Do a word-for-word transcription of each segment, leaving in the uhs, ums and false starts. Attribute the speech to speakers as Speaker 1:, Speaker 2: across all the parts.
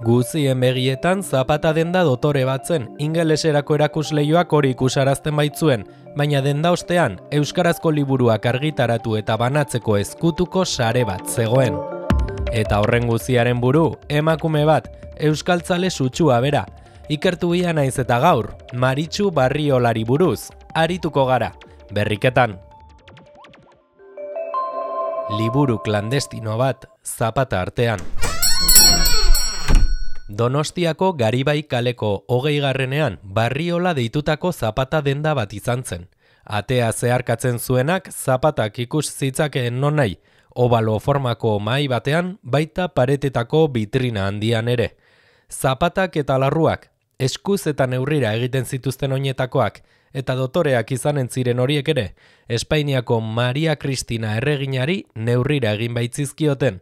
Speaker 1: Guzien begietan zapata denda dotore batzen, ingeleserako erakusleioak hori ikusarazten baitzuen, baina denda ostean, euskarazko liburuak argitaratu eta banatzeko ezkutuko sare bat zegoen. Eta horren guziaren buru, emakume bat, euskaltzale sutsua bera. Ikertu ia naiz eta gaur, Maritxu Barriolari buruz, arituko gara, berriketan. Liburu klandestino bat, zapata artean. Donostiako Garibai kaleko hogeigarrenean Barriola deitutako zapata denda bat izan zen. Atea zeharkatzen zuenak zapatak ikus zitzakeen nonai, obalo formako mahai batean, baita paretetako bitrina handian ere. Zapatak eta larruak, eskuz eta neurrira egiten zituzten oinetakoak, eta dotoreak izanen ziren horiek ere, Espainiako Maria Kristina erreginari neurrira egin baitzizkioten.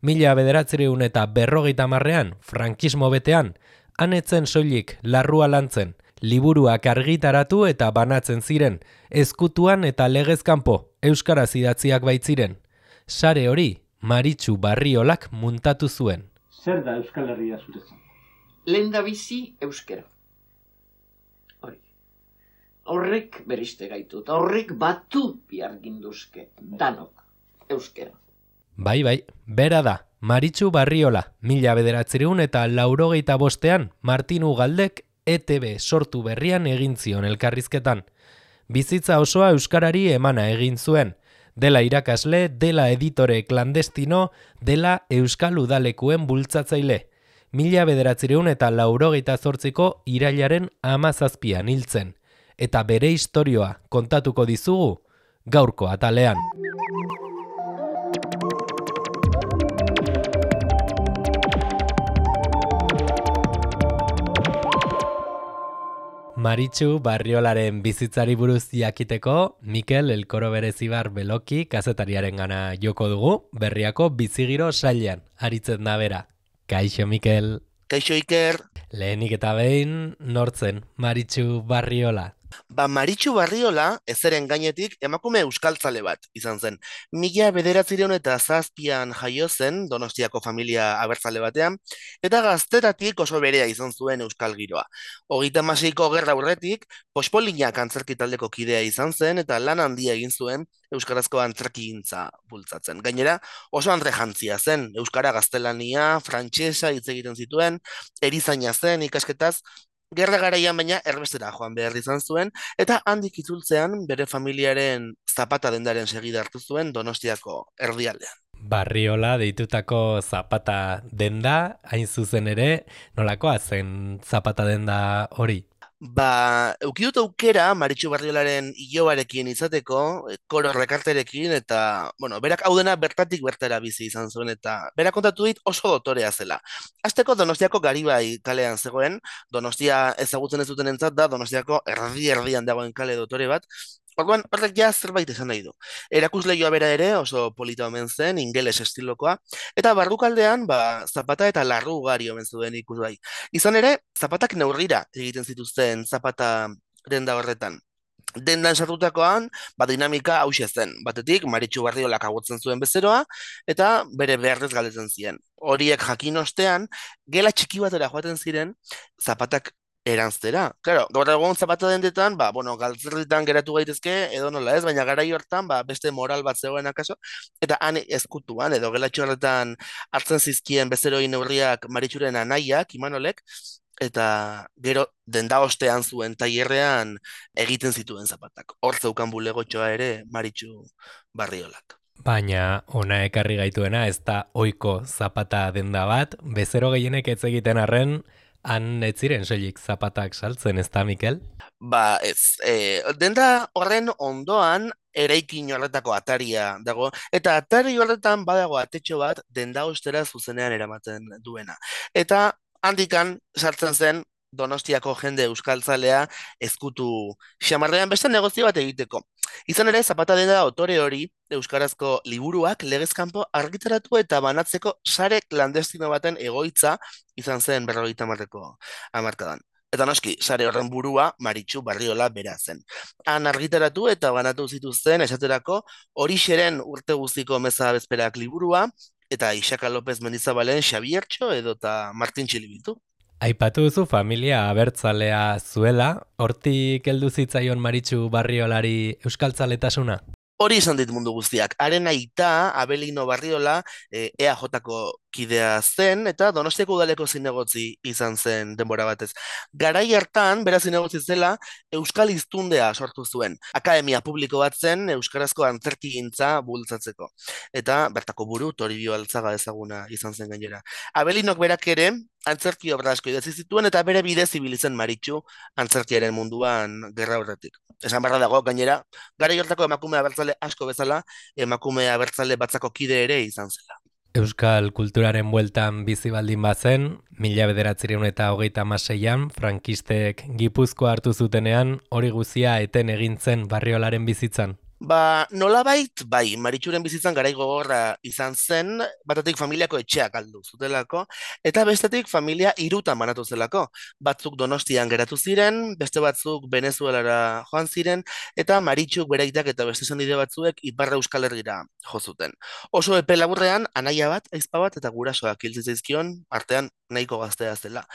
Speaker 1: Mila bederatzireun eta berrogeita marrean, frankismo betean, anetzen soilik larrua lantzen, liburuak argitaratu eta banatzen ziren, ezkutuan eta legezkanpo, euskaraz idatziak baitziren. Sare hori, Maritxu Barriolak muntatu zuen.
Speaker 2: Zer da Euskal Herria zuretzat?
Speaker 3: Lehendabizi euskera. Hori. Horrek beriste gaitu, eta horrek batu bihar ginduzke, danok, euskera.
Speaker 1: Bai, bai, bera da, Maritxu Barriola, mila bederatzireun eta laurogeita bostean, Martin Ugaldek E T B sortu berrian egin zion elkarrizketan. Bizitza osoa euskarari emana egin zuen, dela irakasle, dela editore klandestino, dela euskal udalekuen bultzatzaile. Mila bederatzireun eta laurogeita zortziko irailaren hamazazpian hiltzen, eta bere istorioa kontatuko dizugu gaurko atalean. Maritxu Barriolaren bizitzari buruz jakiteko, Mikel Elkoro Berezibar Beloki kazetariaren gana joko dugu, berriako bizigiro sailean, aritzen da bera. Kaixo, Mikel.
Speaker 4: Kaixo, Iker.
Speaker 1: Lehenik eta behin, nortzen, Maritxu Barriola.
Speaker 4: Ba, Maritxu Barriola, ezeren gainetik, emakume euskaltzale bat izan zen. Mila bederatzireun eta zazpian jaio zen, Donostiako familia abertzale batean, eta gaztetatik oso berea izan zuen euskal giroa. Hogeita hamaseiko gerra aurretik, Pospolinak antzerki taldeko kidea izan zen, eta lan handia egin zuen euskarazko antzerkigintza bultzatzen. Gainera, oso andrejantzia zen, euskara gaztelania, frantsesa hitz egiten zituen, erizaina zen ikasketaz, gerra garaian baina erbestera joan behar izan zuen, eta handik itzultzean bere familiaren zapata dendaren segida hartu zuen Donostiako erdialdean.
Speaker 1: Barriola deitutako zapata denda, hain zuzen ere, nolakoa zen zapata denda hori?
Speaker 4: Ba, eukidut aukera Maritxu Barriolaren ilobarekin izateko, koro rekarterekin, eta, bueno, berak hau dena bertatik bertara bizi izan zuen, eta berak kontatu dit oso dotorea zela. Hasteko Donostiako Garibai kalean zegoen, Donostia ezagutzen ez duten entzat da, Donostiako erdi-erdian dagoen kale dotore bat, orduan, horrek ja zerbait esan nahi du. Erakusleioa bera ere oso polita omen zen, ingeles estilokoa, eta barrukaldean, ba, zapata eta larru ugari omen zuen ikusgai. Izan ere, zapatak neurrira egiten zituzten zapata denda horretan. Dendan sartutakoan, ba, dinamika hauxe zen. Batetik, Maritxu Barriolak agotzen zuen bezeroa, eta bere beharrez galdetzen ziren. Horiek jakin ostean, gela txiki batera joaten ziren, zapatak eranztera. Claro, gaur egun zapata dendetan, ba, bueno, galtzerritan geratu gaitezke, edo nola ez, baina garai hortan, ba, beste moral bat zegoen akaso, eta han ezkutuan, edo gelatxo horretan hartzen zizkien bezeroi neurriak Maritxuren anaiak, Imanolek, eta gero denda ostean zuen tailerrean egiten zituen zapatak. Hor zeukan bulegotxoa ere Maritxu Barriolak.
Speaker 1: Baina ona ekarri gaituena ez da ohiko zapata denda bat, bezero gehienek ez egiten arren, han ez ziren soilik zapatak saltzen, ez da, Mikel?
Speaker 4: Ba, ez. E, denda horren ondoan eraikin horretako ataria dago, eta atari horretan badago atetxo bat denda ostera zuzenean eramaten duena. Eta handikan sartzen zen Donostiako jende euskaltzalea ezkutu xamarrean beste negozio bat egiteko. Izan ere, zapata denda otore hori euskarazko liburuak legezkanpo argitaratu eta banatzeko sare klandestino baten egoitza izan zen berrogeita hamarreko hamarkadan. Eta noski, sare horren burua Maritxu Barriola bera zen. Han argitaratu eta banatu zituzten esaterako Horixeren urte guztiko meza bezperak liburua, eta Ixaka López Mendizabalen Xabiertxo edota Martin Txilibitu.
Speaker 1: Aipatu duzu familia abertzalea zuela, hortik heldu zitzaion Maritxu Barriolari euskaltzaletasuna?
Speaker 4: Hori izan dit mundu guztiak. Haren aita, Abelino Barriola, e, E A J-ko kidea zen, eta Donostiako udaleko zinegotzi izan zen denbora batez. Garai hartan, bera zinegotzi zela, Euskal Hiztundea sortu zuen. Akademia publiko bat zen, euskarazko antzerkigintza bultzatzeko. Eta bertako buru, Toribio Altzaga ezaguna izan zen gainera. Abelinok berak ere, antzerki obra asko idatzi zituen, eta bere bidez ibili zen Maritxu antzerkiaren munduan gerra horretik. Esan barra dago, gainera, garai hortako emakume abertzale asko bezala, emakume abertzale batzako kide ere izan zela.
Speaker 1: Euskal kulturaren bueltan bizi baldin bazen, mila bederatzireun eta hogeita hamaseian, frankistek Gipuzkoa hartu zutenean, hori guzia eten egin zen Barriolaren bizitzan.
Speaker 4: Ba, nolabait, bai, Maritxuren bizitzan garai gogorra izan zen, batetik familiako etxeak galdu zutelako, eta bestetik familia hirutan banatu zelako. Batzuk Donostian geratu ziren, beste batzuk Venezuelara joan ziren, eta Maritxuk bereitak eta beste senide batzuek Ipar Euskal Herrira jo zuten. Oso epe laburrean, anaia bat, aizpa bat eta gurasoak hil zitzaizkion, artean nahiko gaztea zela.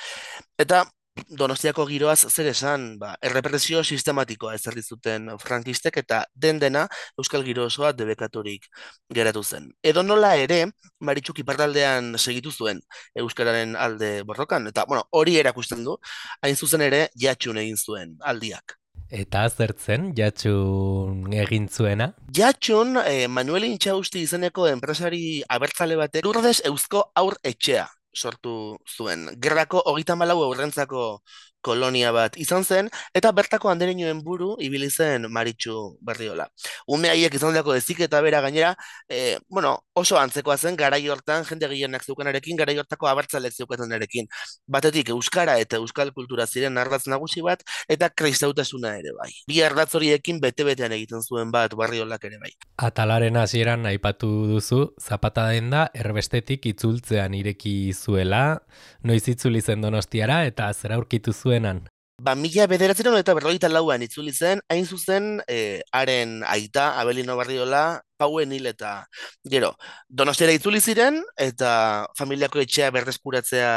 Speaker 4: Eta Donostiako giroaz zer esan, ba, errepresio sistematikoa ezarri zuten frankistek eta den dena Euskal giro osoa debekaturik geratu zen. Edo nola ere, Maritxuk iparraldean segitu zuen euskararen alde borrokan, eta bueno, hori erakusten du, hain zuzen ere Jatxun egin zuen aldiak.
Speaker 1: Eta zertzen, Jatxun egin zuena?
Speaker 4: Jatxun, eh, Manuel Intxausti izeneko enpresari abertzale batek Lourdes Eusko Haur Etxea sortu zuen. Gerrako hogeita hamalau aurrentzako kolonia bat izan zen, eta bertako andereñoen buru ibili zen Maritxu Barriola. Ume haiek izan dako ezik eta bera gainera, e, bueno, oso antzekoa zen garai hortan jende gehienak zeukanarekin, garai hortako abertzalek zeukatenarekin. Batetik euskara eta euskal kultura ziren ardatz nagusi bat, eta kristautasuna ere bai. Bi ardatz horiekin bete-betean egiten zuen bat Barriolak ere bai.
Speaker 1: Atalaren hasieran aipatu duzu, Zapata denda erbestetik itzultzean ireki zuela, noiz itzuli zen Donostiara eta zer aurkitu zuenan?
Speaker 4: Ba, mila bederatzeron eta berrogeita lauan itzuli zen, hain zuzen, eh, haren aita, Abelino Barriola, Pauen hil eta gero. Donostiara itzuli ziren, eta familiako etxea berreskuratzea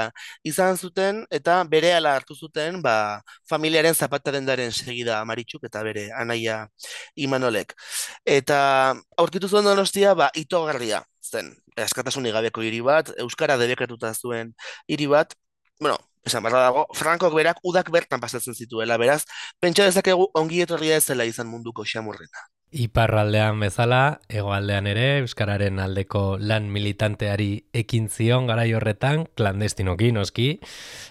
Speaker 4: izan zuten, eta berehala hartu zuten, ba, familiaren Zapata dendaren segida Maritxuk eta bere anaia Imanolek. Eta aurkitu zuen Donostia, ba, itogarria zen, askatasunik gabeko hiri bat, euskara debekatuta zuen hiri bat, bueno, esan barra dago, Frankok berak udak bertan pasatzen zituela, beraz, pentsa dezakegu ongi etorria ez zela izan munduko xamurrena.
Speaker 1: Iparraldean bezala, hegoaldean ere, euskararen aldeko lan militanteari ekin zion garai horretan, klandestinoki noski,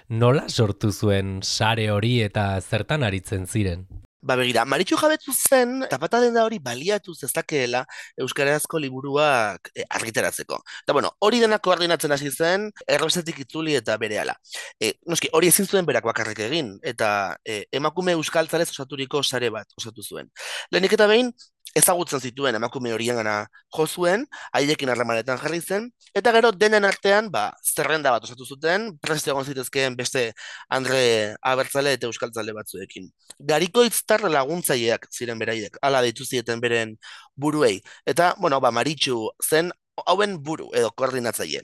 Speaker 1: nola sortu zuen sare hori eta zertan aritzen ziren?
Speaker 4: Ba begira, Maritxu jabetu zen, Zapata denda hori baliatu zezakeela euskarazko liburuak e, argitaratzeko. Eta bueno, hori dena koordinatzen hasi zen, errebesetik itzuli eta berehala. E, noski, hori ezin zuen berak bakarrik egin, eta e, emakume euskaltzalez osaturiko sare bat osatu zuen. Lehenik eta behin, ezagutzen zituen emakume horien gana jo zuen, haiekin harremanetan jarri zen, eta gero denen artean, ba, zerrenda bat osatu zuten, prest egon zitezkeen beste Andre abertzale eta euskaltzale batzuekin. Garikoitztar laguntzaileak ziren beraiek, hala deitu zieten beren buruei. Eta, bueno, ba, Maritxu zen hauen buru edo koordinatzaile.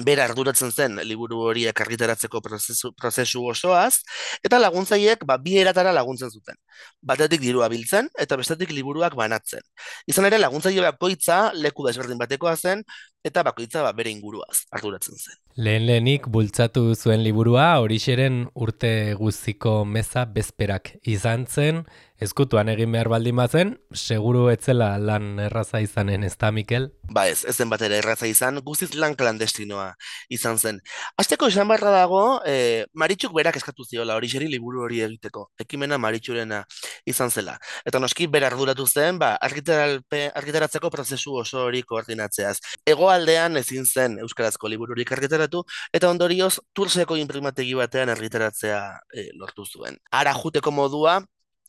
Speaker 4: Bera arduratzen zen liburu horiek argitaratzeko prozesu, prozesu osoaz, eta laguntzaileek ba, bi eratara laguntzen zuten. Batetik dirua biltzen, eta bestetik liburuak banatzen. Izan ere, laguntzaile bakoitza leku desberdin batekoa zen, eta bakoitza ba, bere inguruaz arduratzen zen.
Speaker 1: Lehen lehenik bultzatu zuen liburua, horixeren urte guztiko meza bezperak izan zen, ezkutuan egin behar baldin bazen, seguru etzela lan erraza izanen, ez da, Mikel?
Speaker 4: Ba ez, ez zen bat ere erraza izan, guztiz lan klandestinoa izan zen. Hasteko esan barra dago, e, Maritxuk berak eskatu ziola horixeri liburu hori egiteko, ekimena Maritxurena izan zela. Eta noski bera arduratu zen, ba, argitaratzeko prozesu oso hori koordinatzeaz. Hegoaldean ezin zen euskarazko libururik argitaratu, eta ondorioz Turseko inprimategi batean argitaratzea e, lortu zuen. Ara juteko modua,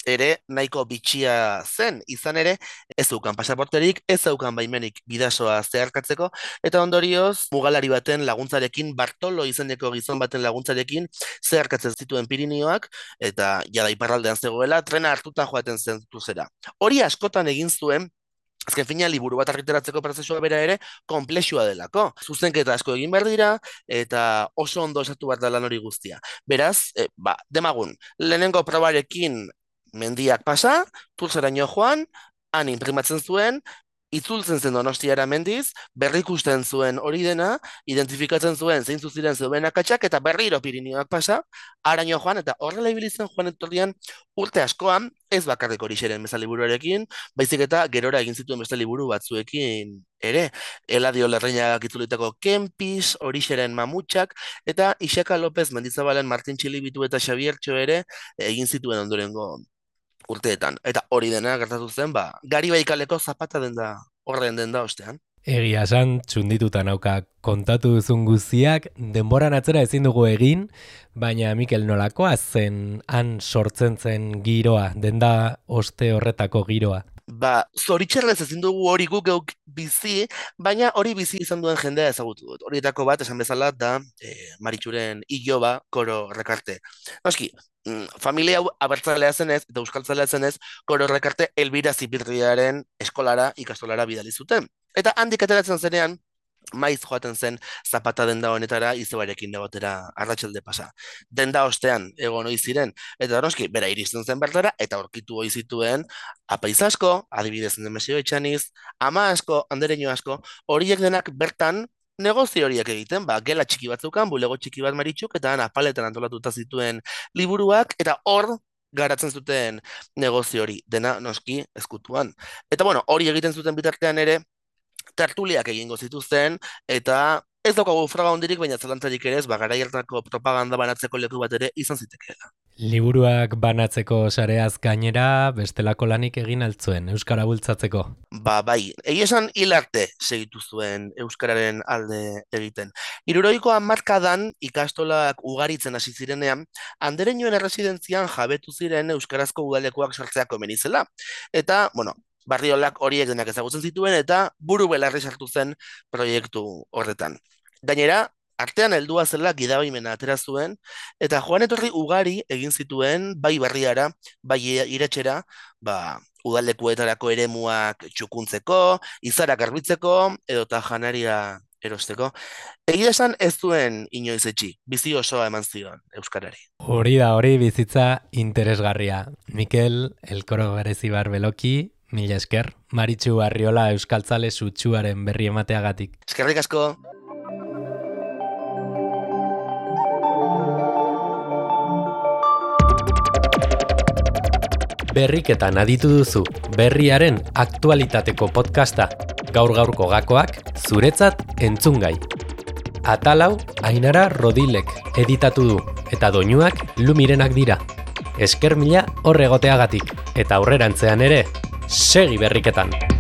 Speaker 4: ere nahiko bitxia zen, izan ere ez zeukan pasaporterik, ez zeukan baimenik bidasoa zeharkatzeko, eta ondorioz mugalari baten laguntzarekin, Bartolo izeneko gizon baten laguntzarekin zeharkatzen zituen Pirinioak, eta jada iparraldean zegoela, trena hartuta joaten zen Tursera. Hori askotan egin zuen, azken fina, liburu bat argitaratzeko prozesua bera ere, konplexua delako. Zuzenketa asko egin behar dira, eta oso ondo esatu behar da lan hori guztia. Beraz, e, ba, demagun, lehenengo probarekin mendiak pasa, Turzeraino joan, han imprimatzen zuen, itzultzen zen Donostiara mendiz, berrikusten zuen hori dena, identifikatzen zuen zein ziren zeuden akatsak, eta berriro Pirinioak pasa, haraino joan, eta horrela ibili zen joan etorrian urte askoan, ez bakarrik Orixeren beste liburuarekin, baizik eta gerora egin zituen beste liburu batzuekin ere, Eladio Larrañagak itzulitako Kempis, Orixeren Mamutxak, eta Ixaka López Mendizabalen Martin Txilibitu eta Xabiertxo ere egin zituen ondorengo urteetan. Eta hori dena gertatu zen, ba, Garibai kaleko zapata denda, horren denda ostean.
Speaker 1: Egia esan, txundituta nauka kontatu duzun guztiak, denboran atzera ezin dugu egin, baina Mikel nolakoa zen han sortzen zen giroa, denda oste horretako giroa.
Speaker 4: Ba, zoritxarrez ezin dugu hori guk geuk bizi, baina hori bizi izan duen jendea ezagutu dut. Horietako bat, esan bezala, da e, Maritxuren iloba Koro Rekarte. Noski, familia hau abertzalea zenez eta euskaltzalea zenez, Koro Rekarte Elbira Zipirriaren eskolara, ikastolara bidali zuten. Eta handik ateratzen zenean, maiz joaten zen zapata denda honetara izebarekin egotera arratsalde pasa. Denda ostean egon ohi ziren, eta noski bera iristen zen bertara, eta aurkitu ohi zituen apaiz asko, adibidez Nemesio Etxaniz, ama asko, Andereño asko, horiek denak bertan negozio horiek egiten, ba, gela txiki batzukan, bulego txiki bat Maritxuk, eta apaletan antolatuta zituen liburuak, eta hor garatzen zuten negozio hori, dena noski ezkutuan. Eta bueno, hori egiten zuten bitartean ere, tertuliak egingo zituzten, eta ez daukagu froga hondirik, baina zelantzarik ere ez, ba, garai hartako propaganda banatzeko leku bat ere izan zitekeela.
Speaker 1: Liburuak banatzeko sareaz gainera, bestelako lanik egin altzuen, Euskara bultzatzeko.
Speaker 4: Ba, bai, egia esan hil arte segitu zuen Euskararen alde egiten. Hirurogeiko hamarkadan ikastolak ugaritzen hasi zirenean, Andereñoen erresidentzian jabetu ziren euskarazko udalekuak sartzea komeni zela. Eta, bueno, Barriolak horiek denak ezagutzen zituen eta buru belarri sartu zen proiektu horretan. Gainera, artean heldua zela gidabaimena atera zuen, eta joan etorri ugari egin zituen bai Barriara, bai Iratxera, ba, udalekuetarako eremuak txukuntzeko, izarak garbitzeko, edota janaria erosteko. Egia esan ez zuen inoiz etxi, bizi osoa eman zion euskarari.
Speaker 1: Hori da, hori bizitza interesgarria. Mikel, Elkoro Berezibar Beloki, mila esker, Maritxu Arriola euskaltzale sutsuaren berri emateagatik.
Speaker 4: Eskerrik asko!
Speaker 1: Berriketan aditu duzu, berriaren aktualitateko podcasta. Gaur-gaurko gakoak, zuretzat entzungai. Atalau, Ainara Rodilek editatu du, eta doinuak Lumirenak dira. Esker mila horregoteagatik, eta aurrerantzean ere, segi berriketan!